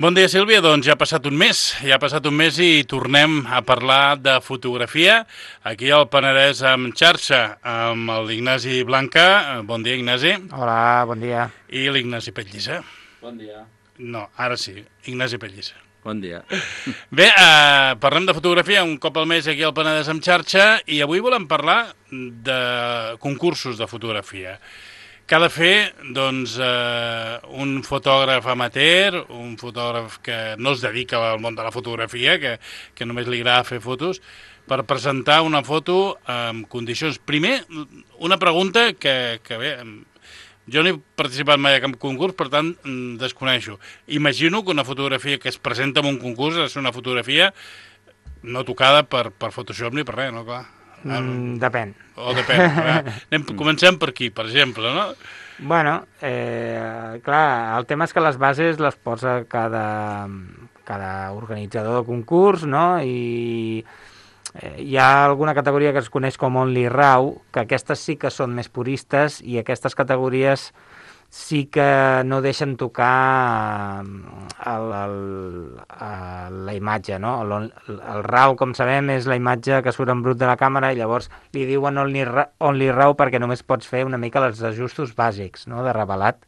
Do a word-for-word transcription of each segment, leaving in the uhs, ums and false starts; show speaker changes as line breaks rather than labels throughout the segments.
Bon dia, Sílvia. Doncs ja ha passat un mes, ja ha passat un mes i tornem a parlar de fotografia aquí al Penedès amb xarxa, amb l'Ignasi Blanca. Bon dia, Ignasi.
Hola, bon dia.
I l'Ignasi Pellissa.
Bon dia.
No, ara sí, Ignasi Pellissa.
Bon dia.
Bé, eh, parlem de fotografia un cop al mes aquí al Penedès amb xarxa i avui volem parlar de concursos de fotografia. Que ha de fer, doncs, eh, un fotògraf amateur, un fotògraf que no es dedica al món de la fotografia, que, que només li agrada fer fotos, per presentar una foto en condicions. Primer, una pregunta que, que bé, jo no he participat mai a cap concurs, per tant, desconeixo. Imagino que una fotografia que es presenta en un concurs és una fotografia no tocada per, per Photoshop ni per res, no? Clar.
Mm, depèn.
O depèn. Anem, comencem per aquí, per exemple, no?
Bueno, eh, clar, el tema és que les bases les posa cada, cada organitzador de concurs, no? I eh, hi ha alguna categoria que es coneix com Only Raw, que aquestes sí que són més puristes i aquestes categories sí que no deixen tocar el, el, el, la imatge, no? El, el RAW, com sabem, és la imatge que surt en brut de la càmera i llavors li diuen only, only RAW perquè només pots fer una mica els ajustos bàsics, no? De revelat,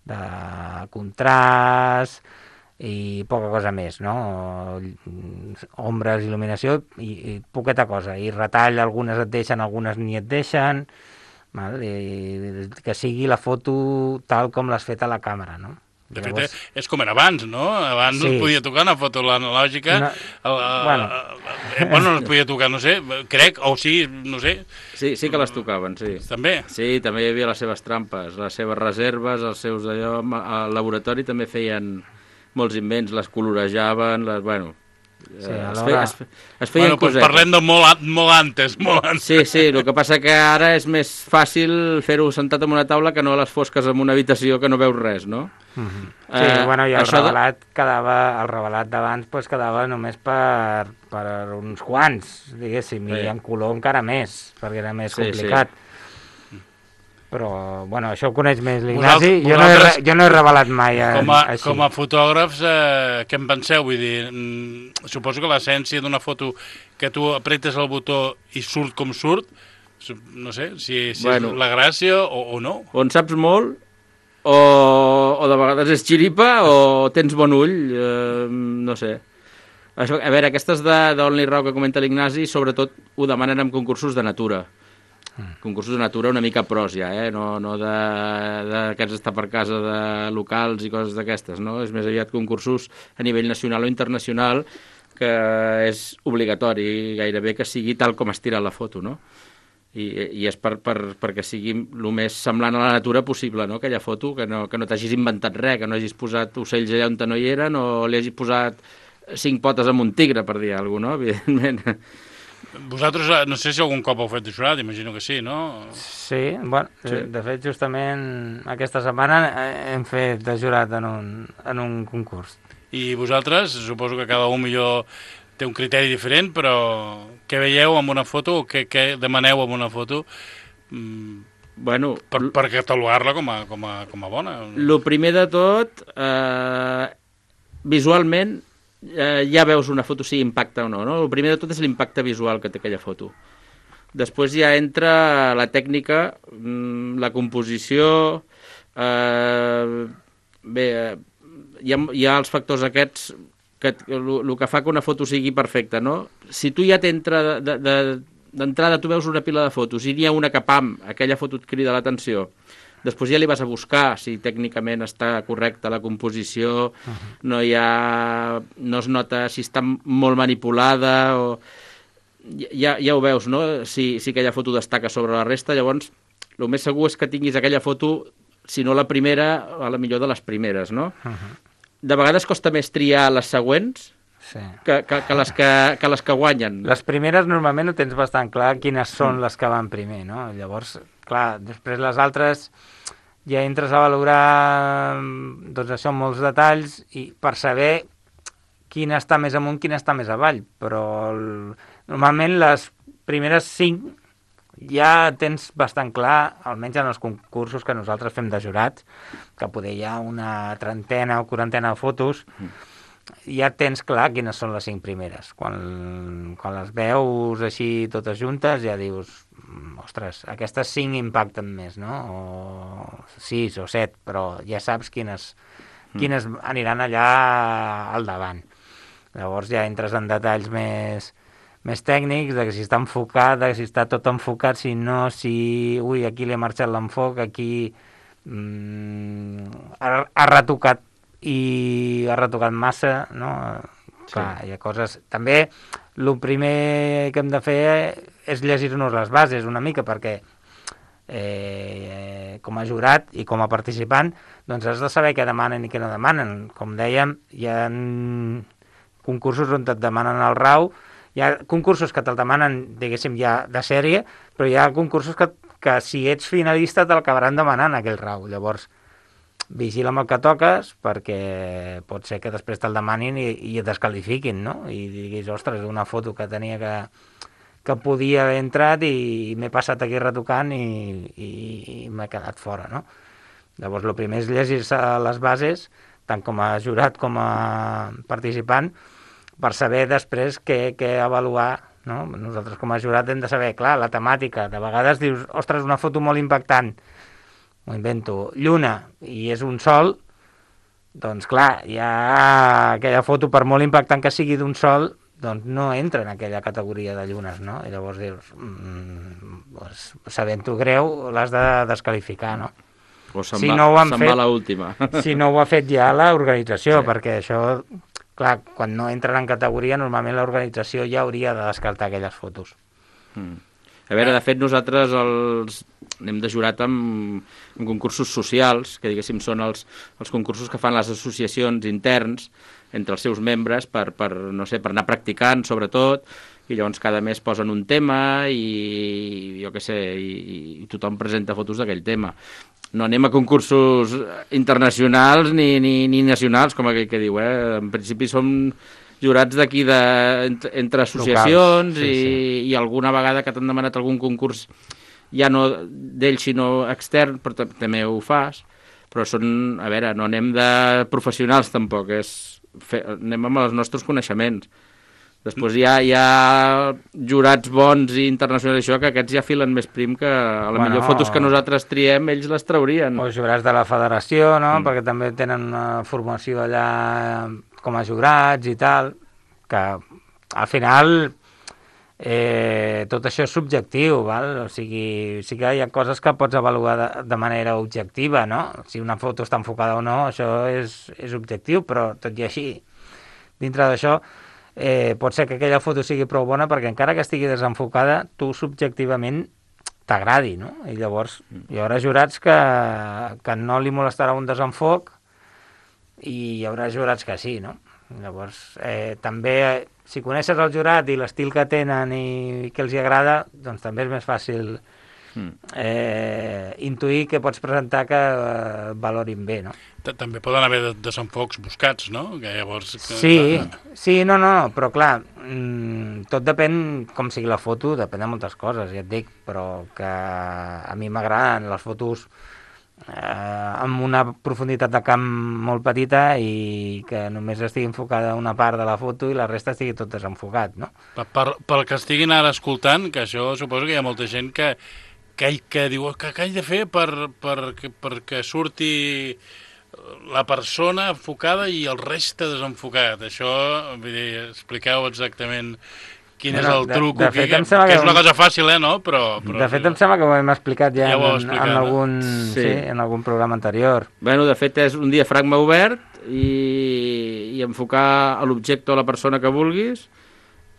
de contrast i poca cosa més, no? Ombres, il·luminació i, i poqueta cosa. I retall, algunes et deixen, algunes ni et deixen... Val? I que sigui la foto tal com l'has fet a la càmera, no?
De fet, Llavors... és com era abans, no? Abans sí. No es podia tocar una foto analògica. No... El, bueno. Eh, bueno, no es podia tocar, no sé, crec, o sí, no sé.
Sí, sí que les tocaven, sí.
També?
Sí, també hi havia les seves trampes, les seves reserves, els seus d'allò... Al laboratori també feien molts invents, les colorejaven, les... Bueno...
Sí, alhora...
es, feia, es, es feien
bueno,
cosetes.
Parlem de molt, molt antes, molt antes.
Sí, sí, el que passa que ara és més fàcil fer-ho sentat en una taula que no a les fosques en una habitació que no veus res, no?
Mm-hmm. Sí, uh, bueno, i el revelat de... quedava, el revelat d'abans pues, quedava només per, per uns quants, diguéssim, sí. I en color encara més, perquè era més
sí,
complicat.
Sí.
Però, bueno, això ho coneix més l'Ignasi. Jo, no he, jo no he revelat mai eh,
com a,
així.
Com a fotògrafs, eh, què en penseu? Vull dir, mm, suposo que l'essència d'una foto que tu apretes el botó i surt com surt, no sé, si, si bueno, és la gràcia o, o no.
O en saps molt, o, o de vegades és xiripa, o tens bon ull, eh, no sé. Això, a veure, aquestes d'Only Raw que comenta l'Ignasi, sobretot ho demanen en concursos de natura. Concursos de natura una mica pros ja, eh? no, no d'aquests estar per casa de locals i coses d'aquestes, no? És més aviat concursos a nivell nacional o internacional que és obligatori gairebé que sigui tal com es tira la foto, no? I, i és per, per, perquè sigui el més semblant a la natura possible, no? Aquella foto, que no, que no t'hagis inventat res, que no hagis posat ocells allà on no hi eren o li hagis posat cinc potes amb un tigre, per dir alguna cosa, no? Evidentment.
Vosaltres, no sé si algun cop heu fet de jurat, imagino que sí, no?
Sí, bueno, sí. De fet, justament aquesta setmana hem fet de jurat en un, en un concurs.
I vosaltres, suposo que cada un millor té un criteri diferent, però què veieu amb una foto o què, què demaneu amb una foto
bueno,
per, per catalogar-la com, a, com, a, com a bona?
El primer de tot, eh, visualment, Eh, ja veus una foto si impacta o no, no? El primer de tot és l'impacte visual que té aquella foto. Després ja entra la tècnica, la composició, eh, bé, hi ha, hi ha els factors aquests que el que fa que una foto sigui perfecta, no? Si tu ja t'entra de, de, d'entrada tu veus una pila de fotos i n'hi ha una que pam, aquella foto et crida l'atenció. Després ja li vas a buscar si tècnicament està correcta la composició, uh-huh. no hi ha, no es nota si està molt manipulada, o ja, ja ho veus, no? Si, si aquella foto destaca sobre la resta, llavors el més segur és que tinguis aquella foto, si no la primera, a la millor de les primeres, no? Uh-huh. De vegades costa més triar les següents, sí. que, que, que, les que, que les que guanyen.
Les primeres normalment ho tens bastant clar quines són mm. les que van primer, no? Llavors, clar, després les altres ja entres a valorar doncs això amb molts detalls i per saber quina està més amunt, quina està més avall, però el, normalment les primeres cinc ja tens bastant clar, almenys en els concursos que nosaltres fem de jurats, que poder hi ha una trentena o quarantena de fotos, ja tens clar quines són les cinc primeres. Quan, quan les veus així totes juntes ja dius, ostres, aquestes cinc impacten més, no? O sis o set, però ja saps quines, quines aniran allà al davant. Llavors ja entres en detalls més, més tècnics, de que si està enfocat, de que si està tot enfocat, si no, si... Ui, aquí li ha marxat l'enfoc, aquí mm, ha, ha retocat i ha retocat massa, no? Sí. Clar, hi ha coses... També, el primer que hem de fer és llegir-nos les bases una mica, perquè eh, com a jurat i com a participant, doncs has de saber què demanen i què no demanen. Com dèiem, hi ha concursos on et demanen el RAW, hi ha concursos que te'l demanen, diguéssim, ja de sèrie, però hi ha concursos que, que si ets finalista te'l acabaran demanant aquell RAW. Llavors, vigila amb el que toques, perquè pot ser que després te'l demanin i, i et descalifiquin, no? I diguis, ostres, una foto que tenia que, que podia haver entrat i, i m'he passat aquí retocant i, i, i m'he quedat fora, no? Llavors, el primer és llegir-se les bases, tant com a jurat com a participant, per saber després què, què avaluar, no? Nosaltres com a jurat hem de saber, clar, la temàtica. De vegades dius, ostres, una foto molt impactant, m'ho invento, lluna, i és un sol, doncs clar, ja aquella foto, per molt impactant que sigui d'un sol, doncs no entra en aquella categoria de llunes, no? I llavors dius, mmm, doncs, sabent-ho greu, l'has de descalificar, no?
O se'n
si
va,
no ho han
se'n
fet,
va l'última.
Si no ho ha fet ja l'organització,
Sí.
perquè això, clar, quan no entren en categoria, normalment l'organització ja hauria de descartar aquelles fotos.
Mm. A veure, de fet, nosaltres els anem de jurat amb, amb concursos socials, que diguéssim són els, els concursos que fan les associacions interns entre els seus membres per, per, no sé, per anar practicant, sobretot, i llavors cada mes posen un tema i jo què sé, i, i tothom presenta fotos d'aquell tema. No anem a concursos internacionals ni, ni, ni nacionals, com aquell que diu, eh? En principi som jurats d'aquí de, entre, entre associacions. Locals, sí, i, sí. I alguna vegada que t'han demanat algun concurs ja no d'ell sinó extern, però també ho fas, però són, a veure, no anem de professionals tampoc, és fer, anem amb els nostres coneixements. Després hi ha, hi ha jurats bons i internacionals, això, que aquests ja filen més prim que a la bueno, millor fotos que nosaltres triem, ells les traurien.
O jurats de la federació, no? Mm. Perquè també tenen una formació allà com a jurats i tal, que al final eh, tot això és subjectiu, val? O sigui, sí que hi ha coses que pots avaluar de, de manera objectiva, no? Si una foto està enfocada o no, això és, és objectiu, però tot i així, dintre d'això, Eh, pot ser que aquella foto sigui prou bona perquè encara que estigui desenfocada, tu subjectivament t'agradi, no? I llavors hi haurà jurats que, que no li molestarà un desenfoc i hi haurà jurats que sí, no? Llavors, eh, també, si coneixes el jurat i l'estil que tenen i que els hi agrada, doncs també és més fàcil eh, intuir que pots presentar que eh, valorin bé, no?
També poden haver desenfocs buscats, no? Que llavors... Que...
Sí, sí, no, no, però clar, mmm, tot depèn com sigui la foto, depèn de moltes coses, ja et dic, però que a mi m'agraden les fotos eh, amb una profunditat de camp molt petita i que només estigui enfocada una part de la foto i la resta estigui tot desenfocat, no?
Per, per, pel que estiguin ara escoltant, que això suposo que hi ha molta gent que, que, que diu que què he de fer per, per, perquè surti la persona enfocada i el reste desenfocat. Això, vull dir, expliqueu exactament quin bueno, és el truc, de, de que, que, que, que és una cosa fàcil, eh, no? Però, però,
de fet, em sembla que ho hem explicat ja, ja en, explicat, en, algun, sí. Sí, en algun programa anterior.
Bueno, de fet, és un diafragma obert i, i enfocar a l'objecte o a la persona que vulguis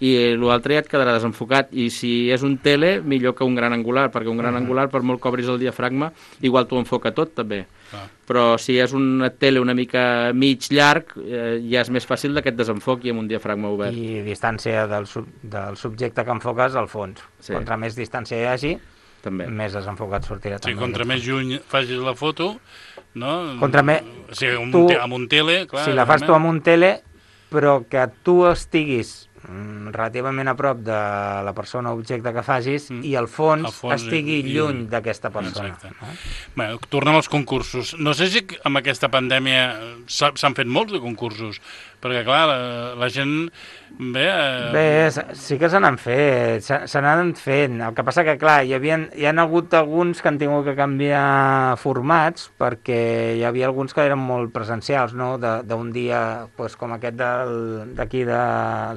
i l'altre ja et quedarà desenfocat, i si és un tele, millor que un gran angular, perquè un gran uh-huh. angular, per molt que obris el diafragma, igual t'ho enfoca tot, també. Ah. Però si és una tele una mica mig llarg, eh, ja és més fàcil d'aquest desenfoc i amb un diafragma obert.
I distància del, sub, del subjecte que enfoques al fons. Sí. Contra més distància hi hagi, també. Més desenfocat sortirà.
Sí,
també.
Contra més lluny facis la foto, no?
Contra més...
O sigui, amb,
tu,
un te, amb un tele, clar...
Si la fas tu amb un tele, però que tu estiguis mm, relativament a prop de la persona o objecte que facis mm. i el fons, el fons estigui i, lluny d'aquesta persona. No?
Bé, tornem als concursos. No sé si amb aquesta pandèmia s'han fet molts de concursos, perquè, clar, la, la gent... Bé, eh...
bé, sí que se n'han fet, se, se n'han fet. El que passa que, clar, hi, havia, hi ha hagut alguns que han tingut que canviar formats, perquè hi havia alguns que eren molt presencials, no?, d'un dia, pues, com aquest d'aquí, de,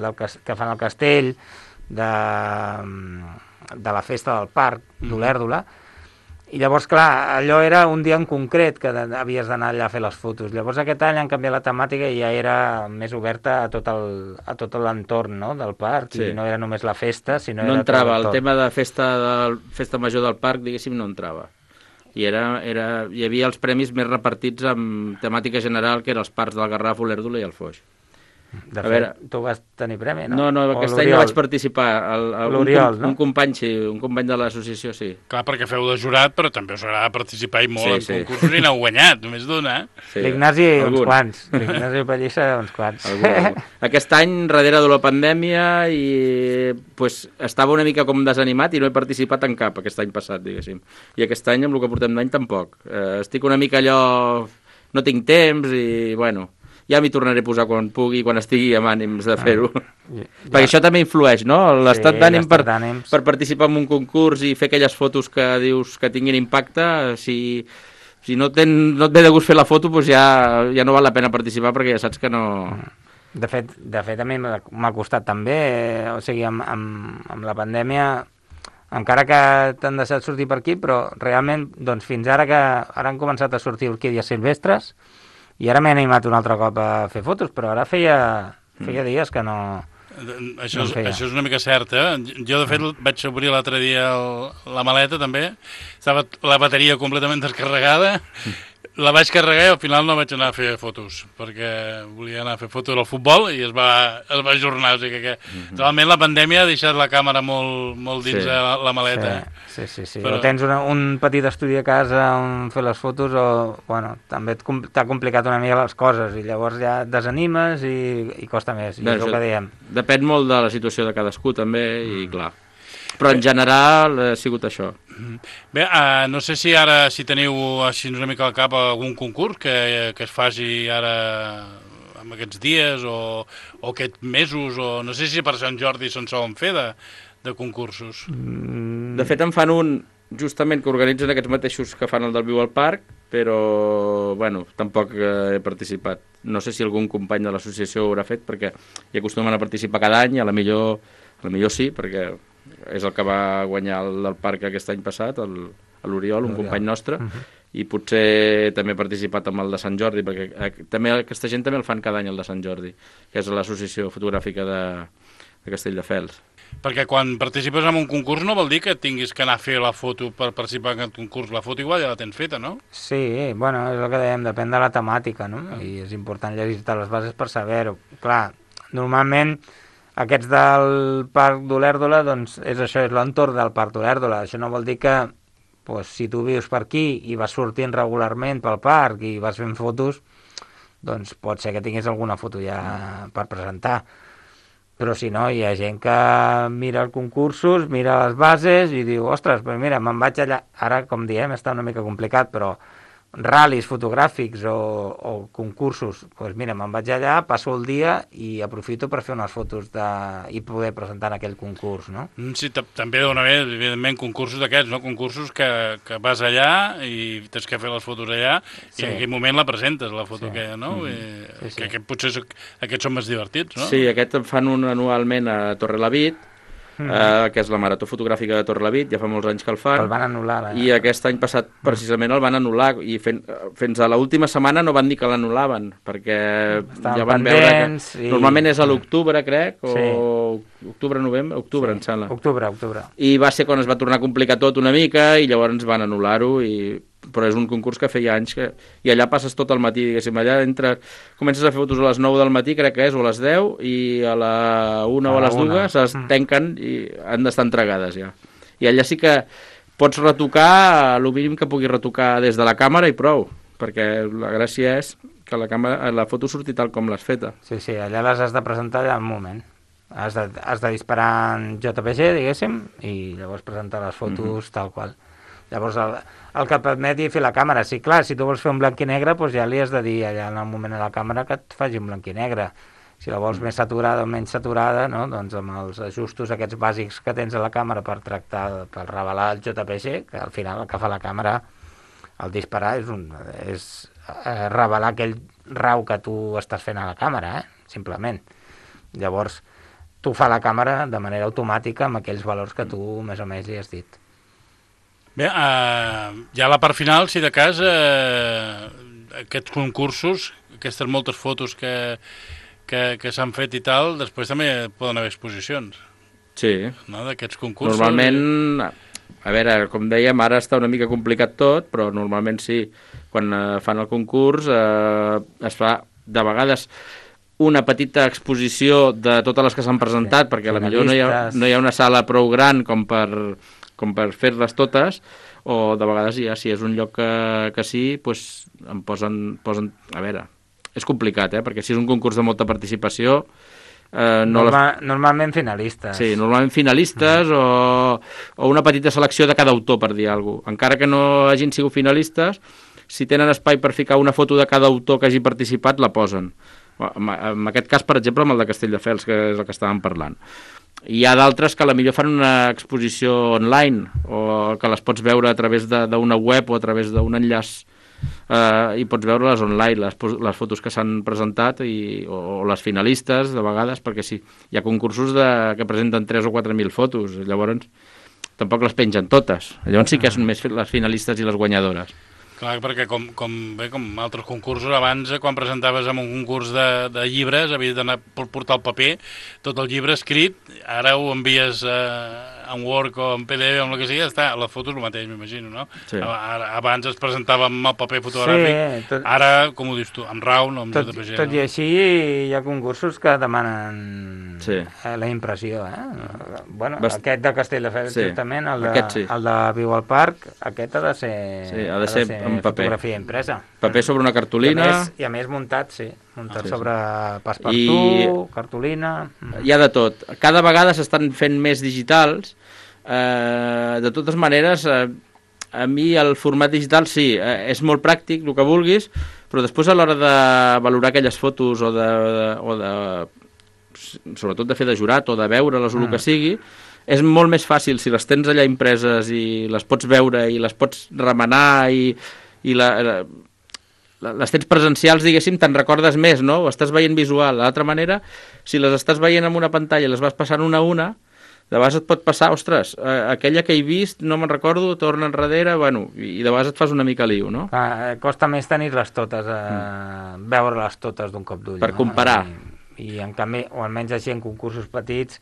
del, que fan al castell, de, de la festa del parc d'Olèrdola. I llavors, clar, allò era un dia en concret que havies d'anar allà a fer les fotos. Llavors aquest any han canviat la temàtica i ja era més oberta a tot el, a tot l'entorn, no?, del parc, sí. I no era només la festa, sinó
no
era
entrava,
tot
el tema de festa, del, festa major del parc, diguéssim, no entrava. I era, era, hi havia els premis més repartits amb temàtica general, que eren els parcs del Garraf, Olèrdola i el Foix.
De fet, veure, tu vas tenir premi, no?
No, no, aquest any no vaig participar.
L'Oriol,
un,
no?
Un company, sí, un company de l'associació, sí.
Clar, perquè feu de jurat, però també us agrada participar i molt
sí,
en
sí.
concursos i n'heu guanyat, només d'una.
Sí. L'Ignasi, uns quants. L'Ignasi Pallissa, uns quants.
Algun, algun. Aquest any, darrere de la pandèmia, i pues, estava una mica com desanimat i no he participat en cap aquest any passat, diguéssim. I aquest any, amb el que portem d'any, tampoc. Eh, estic una mica allò... No tinc temps i, bueno... Ja m'hi tornaré a posar quan pugui, quan estigui amb ànims de fer-ho. Ah, ja. Perquè això també influeix, no? L'estat sí, d'ànim per, per participar en un concurs i fer aquelles fotos que dius que tinguin impacte, si, si no, ten, no et ve de gust fer la foto, doncs ja, ja no val la pena participar perquè ja saps que no...
De fet, de fet a mi m'ha costat també, o sigui, amb, amb, amb la pandèmia, encara que t'han deixat sortir per aquí, però realment, doncs fins ara que ara han començat a sortir orquídies silvestres, i ara m'he animat un altre cop a fer fotos, però ara feia, feia dies que no...
Això és, això és una mica cert, eh? Jo, de fet, vaig obrir l'altre dia el, la maleta, també. Estava la bateria completament descarregada. La vaig carregar i al final no vaig anar a fer fotos, perquè volia anar a fer fotos del futbol i es va, es va ajornar. O sigui que, que realment la pandèmia ha deixat la càmera molt, molt dins sí. la, la maleta.
Sí, sí, sí. sí. Però... O tens una, un petit estudi a casa on fer les fotos o, bueno, també t'ha complicat una mica les coses i llavors ja et desanimes i, i costa més. I
Bé,
és el que diem.
Depèn molt de la situació de cadascú també i clar. Però en general ha sigut això.
Bé, uh, no sé si ara si teniu així una mica al cap algun concurs que, que es faci ara en aquests dies o, o aquests mesos, o no sé si per Sant Jordi se'n solen fer de, de concursos.
De fet en fan un justament que organitzen aquests mateixos que fan el del Viu al Parc, però bueno, tampoc he participat. No sé si algun company de l'associació ho haurà fet perquè hi acostumen a participar cada any, a la millor, a la millor sí, perquè és el que va guanyar el del parc aquest any passat, l'Oriol, un company nostre, uh-huh. I potser també he participat amb el de Sant Jordi, perquè eh, també aquesta gent també el fan cada any, el de Sant Jordi, que és l'associació fotogràfica de, de Castelldefels.
Perquè quan participes en un concurs no vol dir que tinguis que anar a fer la foto per participar en aquest concurs. La foto igual ja la tens feta, no?
Sí, bueno, és el que dèiem, depèn de la temàtica, no? Uh-huh. I és important llegir-te les bases per saber-ho. Clar, normalment... Aquests del Parc d'Olèrdola, doncs, és això, és l'entorn del Parc d'Olèrdola. Això no vol dir que, doncs, si tu vius per aquí i vas sortint regularment pel parc i vas fent fotos, doncs pot ser que tinguis alguna foto ja per presentar. Però si no, hi ha gent que mira els concursos, mira les bases i diu, ostres, però mira, me'n vaig allà. Ara, com diem, està una mica complicat, però... ral·lis fotogràfics o, o concursos, doncs mira, me'n vaig allà, passo el dia i aprofito per fer unes fotos de, i poder presentar en aquell concurs, no?
Sí, també dona bé, evidentment, concursos d'aquests, no? Concursos que, que vas allà i tens que fer les fotos allà sí. I en aquell moment la presentes, la foto sí. aquella, no? Mm-hmm. I, sí, sí. Que, que potser aquests són més divertits, no?
Sí, aquest en fan un anualment a Torrelavit, Mm. Uh, que és la Marató Fotogràfica de Torrelavit, ja fa molts anys que el fan.
El van anul·lar. Eh?
I aquest any passat, precisament, el van anul·lar, i fent, fins a l'última setmana no van dir que l'anul·laven, perquè Estaven ja van veure que... I... Normalment és a l'octubre, crec, o sí. octubre, novembre, octubre, sí. Em sembla.
Octubre, octubre.
I va ser quan es va tornar a complicar tot una mica, i llavors van anul·lar-ho, i... però és un concurs que feia anys que... i allà passes tot el matí, diguéssim, allà entre... comences a fer fotos a les nou del matí, crec que és, o a les deu, i a la una a o a les dues es tanquen i han d'estar entregades ja. I allà sí que pots retocar el mínim que puguis retocar des de la càmera i prou, perquè la gràcia és que la, càmera, la foto surti tal com l'has feta.
Sí, sí, allà les has de presentar allà en un moment. Has de, has de disparar en J P G, diguéssim, i llavors presentar les fotos uh-huh. tal qual. Llavors, el, el que et permeti fer la càmera, sí, clar, si tu vols fer un blanc i negre, doncs ja li has de dir allà en el moment de la càmera que et faci un blanc i negre. Si la vols uh-huh. més saturada o menys saturada, no? Doncs amb els ajustos aquests bàsics que tens a la càmera per tractar, per revelar el J P G, que al final el que fa la càmera al disparar és, un, és eh, revelar aquell rau que tu estàs fent a la càmera, eh? Simplement. Llavors, tu fa la càmera de manera automàtica amb aquells valors que tu més o menys li has dit.
Bé, uh, ja a la part final, si de cas, uh, aquests concursos, aquestes moltes fotos que, que, que s'han fet i tal, després també poden haver exposicions.
Sí.
No? D'aquests concursos.
Normalment... A veure, com dèiem, ara està una mica complicat tot, però normalment sí, quan eh, fan el concurs eh, es fa de vegades una petita exposició de totes les que s'han presentat, sí, perquè potser no hi, ha, no hi ha una sala prou gran com per, com per fer-les totes, o de vegades ja, si és un lloc que, que sí, doncs em posen, posen... A veure, és complicat, eh? Perquè si és un concurs de molta participació... Eh, no
Norma,
les...
Normalment finalistes.
Sí, normalment finalistes mm. o, o una petita selecció de cada autor, per dir alguna cosa. Encara que no hagin sigut finalistes, si tenen espai per ficar una foto de cada autor que hagi participat, la posen. En, en aquest cas, per exemple, amb el de Castelldefels, que és el que estàvem parlant. Hi ha d'altres que a la millor fan una exposició online o que les pots veure a través d'una web o a través d'un enllaç Uh, i pots veure-les online, les, les fotos que s'han presentat i, o, o les finalistes de vegades, perquè sí, hi ha concursos de, que presenten tres o quatre mil fotos, llavors tampoc les pengen totes, llavors sí que són més les finalistes i les guanyadores.
Clar, perquè com, com, bé, com altres concursos, abans quan presentaves en un concurs de, de llibres havies d'anar per portar el paper, tot el llibre escrit, ara ho envies eh, en Word o en P D F o en el que sigui, està, les fotos el mateix, m'imagino, no? Sí. Ara, abans es presentava amb el paper fotogràfic, sí, tot, ara, com ho dius tu, amb RAW, no amb
tot,
J P G.
Tot no? I així hi ha concursos que demanen sí. la impressió, eh? Bueno, Bast... aquest de Castelldefels, sí. justament, el de, sí. el de Viu al Parc, aquest ha de ser...
Sí, ha de ser, ha de ser en paper.
Fotografia impresa.
Paper sobre una cartolina.
I a més, i a més muntat, sí. Muntat ah, sí, sobre sí. Passepartout, I... cartolina...
Hi ha de tot. Cada vegada s'estan fent més digitals. Eh, de totes maneres, eh, a mi el format digital sí, eh, és molt pràctic, el que vulguis, però després a l'hora de valorar aquelles fotos o de, o de... sobretot de fer de jurat o de veure-les o el que sigui, és molt més fàcil si les tens allà impreses i les pots veure i les pots remenar i, i la, la, les tens presencials, diguéssim, te'n recordes més, no? Ho estàs veient visual. De l'altra manera, si les estàs veient en una pantalla i les vas passant una a una, de vegades et pot passar, ostres, eh, aquella que he vist, no me'n recordo, torna enrere, bueno, i de vegades et fas una mica liu, no?
Ah, costa més tenir-les totes, eh, mm. veure-les totes d'un cop d'ull.
Per no? comparar.
I, I en canvi, o almenys així en concursos petits,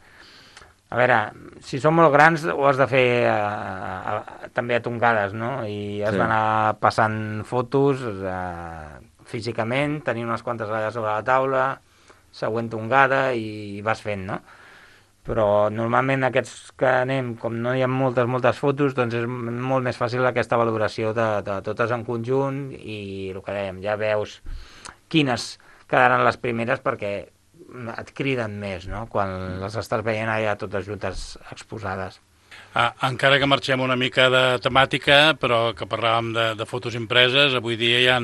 a veure, si són molt grans ho has de fer eh, eh, també a tongades, no? I has sí. d'anar passant fotos eh, físicament, tenir unes quantes allà sobre la taula, següent tongada i vas fent, no? Però normalment aquests que anem, com no hi ha moltes, moltes fotos, doncs és molt més fàcil aquesta valoració de, de totes en conjunt i el que dèiem, ja veus quines quedaran les primeres perquè et criden més, no?, quan les estàs veient allà totes juntes exposades.
Ah, encara que marxem una mica de temàtica, però que parlàvem de, de fotos impreses, avui dia hi ha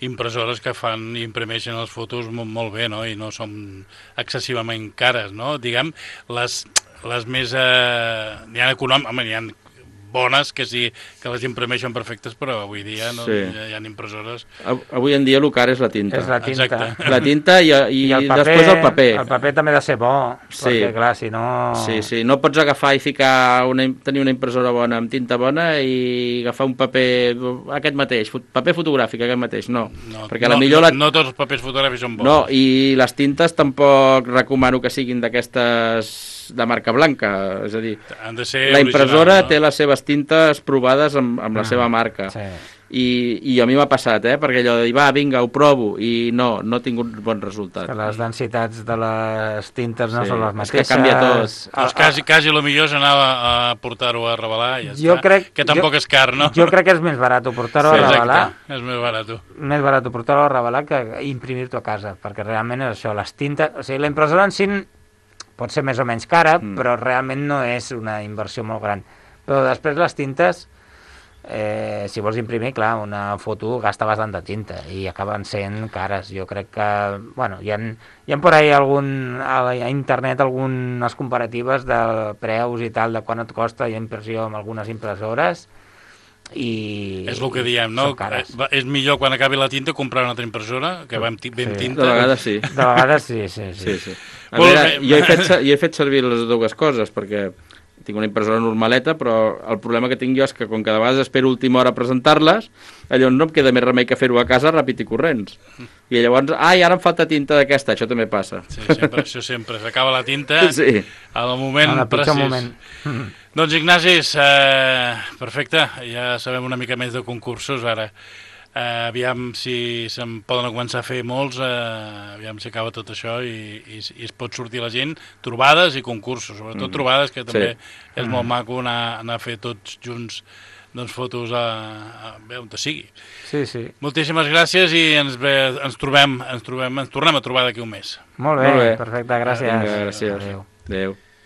impressores que fan i imprimeixen les fotos molt, molt bé, no?, i no són excessivament cares, no? Diguem, les, les més... Eh, n'hi ha econòmiques, n'hi ha bones que sí que les imprimeixen perfectes, però avui dia no, sí. hi, ha, hi ha impressores.
Avui en dia el car és la tinta.
És la tinta.
Exacte.
La tinta i, i, I el paper, després el paper.
El paper també ha de ser bo, sí. perquè clar, si no...
Sí, sí, no pots agafar i ficar una, tenir una impressora bona amb tinta bona i agafar un paper aquest mateix, paper fotogràfic aquest mateix, no. no perquè
no,
la millor... La...
No, no tots els papers fotogràfics són bons.
No, i les tintes tampoc recomano que siguin d'aquestes de marca blanca, és a dir,
han de ser
la impressora
original, no?
té les seves tintes provades amb, amb la ah, seva marca.
Sí.
I, i a mi m'ha passat, eh? Perquè allò de dir, va, vinga, ho provo, i no, no he tingut bon resultat.
Que les densitats de les tintes no
sí,
són les mateixes.
És que canvia tot.
Doncs quasi, quasi el millor és anar a portar-ho a revelar, i ja
jo
està.
Crec,
que tampoc
jo,
és car, no?
Jo crec que és més barat portar-ho
sí,
a revelar.
Exacte, és més barat.
Més barat portar-ho a revelar que imprimir-t'ho a casa, perquè realment és això, les tintes... O sigui, la impressora en si pot ser més o menys cara,
Mm.
però realment no és una inversió molt gran. Però després les tintes, eh, si vols imprimir, clar, una foto gasta bastanta tinta i acaben sent cares. Jo crec que, bueno, hi ha, hi ha por ahí algun, a, la, a internet algunes comparatives de preus i tal, de quant et costa la impressió amb algunes impressores, i
És el que diem, no?
són cares.
Eh, És millor quan acabi la tinta comprar una altra impressora, que va amb, ti- ve amb
Sí.
tinta.
De vegades sí.
De vegades sí, sí, sí.
Sí, sí. A
Molt
veure,
bé.
jo he, fet, se- jo he fet servir les dues coses, perquè tinc una impressora normaleta, però el problema que tinc jo és que com que de vegades espero última hora a presentar-les, llavors no em queda més remei que fer-ho a casa ràpid i corrents. I llavors, ai, ara em falta tinta d'aquesta, això també passa.
Sí, sempre, això sempre. S'acaba la tinta
Sí.
al moment
En el pitjor
precís.
moment.
Doncs Ignacis, eh, perfecte, ja sabem una mica més de concursos ara. Eh, aviam si se'n poden començar a fer molts, eh, aviam si acaba tot això i, i, i es pot sortir la gent, trobades i concursos, sobretot
Mm.
trobades, que també
Sí.
és molt maco anar, anar a fer tots junts doncs, fotos a, a, a on sigui.
Sí, sí.
Moltíssimes gràcies i ens, ve, ens trobem, ens trobem, ens tornem a trobar d'aquí un mes.
Molt bé,
Molt bé.
perfecte, gràcies.
Vinga, gràcies.
Adéu.
Adéu.